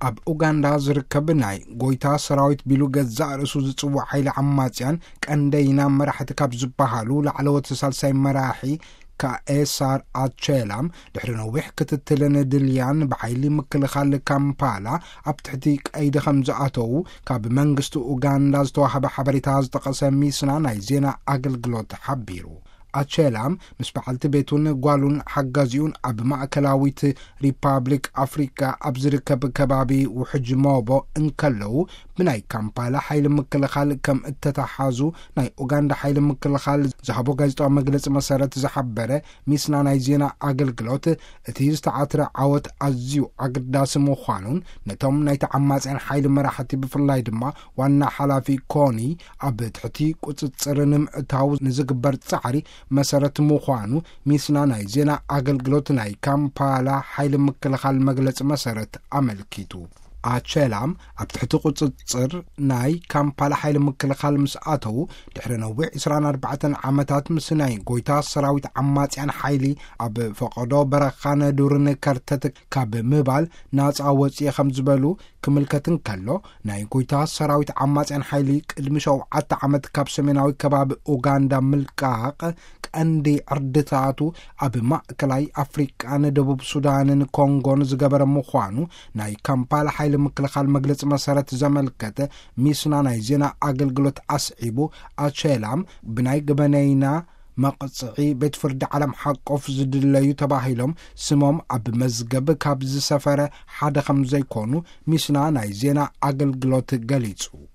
ኣብ ኡጋንዳ ዝርከብ ናይ ጎይታ ሰራዊት ቢሉ ገዛእ ርእሱ ዝጽውዕ ሓይሊ ዓማጽያን ቀንደይና መራሕቲ ካብ ዝበሃሉ ላዕለዎት ሳልሳይ መራሒ ካኤሳር ኣቼላም ድሕሪ ነዊሕ ክትትልን ድልያን ብሓይሊ ምክልኻል ካምፓላ ኣብ ትሕቲ ቀይዲ ከም ዝኣተዉ ካብ መንግስቲ ኡጋንዳ ዝተዋህበ ሓበሬታ ዝጠቐሰ ሚስና ናይ ዜና ኣገልግሎት ሓቢሩ። ኣቼላም ምስ በዓልቲ ቤቱን ጓሉን ሓጋዚኡን ኣብ ማእከላዊት ሪፓብሊክ ኣፍሪካ ኣብ ዝርከብ ከባቢ ውሕጅ ሞቦ እንከለዉ ብናይ ካምፓላ ሓይሊ ምክልኻል ከም እተተሓዙ ናይ ኡጋንዳ ሓይሊ ምክልኻል ዝሃቦ ጋዜጣዊ መግለጺ መሰረት ዝሓበረ ሚስና ናይ ዜና ኣገልግሎት እቲ ዝተዓትረ ዓወት ኣዝዩ ኣገዳሲ ምዃኑን ነቶም ናይ ተዓማጽያን ሓይሊ መራሕቲ ብፍላይ ድማ ዋና ሓላፊ ኮኒ ኣብ ትሕቲ ቁጽጽር ንምእታው ንዝግበር ጻዕሪ መሰረት ምዃኑ ሚስና ናይ ዜና ኣገልግሎት ናይ ካምፓላ ሓይሊ ምክልኻል መግለጺ መሰረት ኣመልኪቱ። ኣቸላም ኣብ ትሕቲ ቁጽጽር ናይ ካምፓላ ሓይሊ ምክልኻል ምስ ኣተዉ ድሕሪ ነዊሕ ዕስራን ኣርባዕተን ዓመታት ምስ ናይ ጎይታ ሰራዊት ዓማጽያን ሓይሊ ኣብ ፈቐዶ በረኻን ዱርን ከርተት ካብ ምባል ናጻ ወጽየ ከም ዝበሉ ክምልከት እንከሎ ናይ ጎይታ ሰራዊት ዓማጽያን ሓይሊ ቅድሚ ሸውዓተ ዓመት ካብ ሰሜናዊ ከባቢ ኡጋንዳ ምልቃቕ ቀንዲ ዕርድታቱ ኣብ ማእከላይ ኣፍሪቃን ደቡብ ሱዳንን ኮንጎን ዝገበረ ምዃኑ ናይ ካምፓላ ሓይሊ ምክልኻል መግለጺ መሰረት ዘመልከተ ሚስና ናይ ዜና ኣገልግሎት ኣስዒቡ ኣቸላም ብናይ ገበነይና መቕጽዒ ቤት ፍርዲ ዓለም ሓቆፍ ዝድለዩ ተባሂሎም ስሞም ኣብ መዝገብ ካብ ዝሰፈረ ሓደ ከም ዘይኮኑ ሚስና ናይ ዜና ኣገልግሎት ገሊጹ።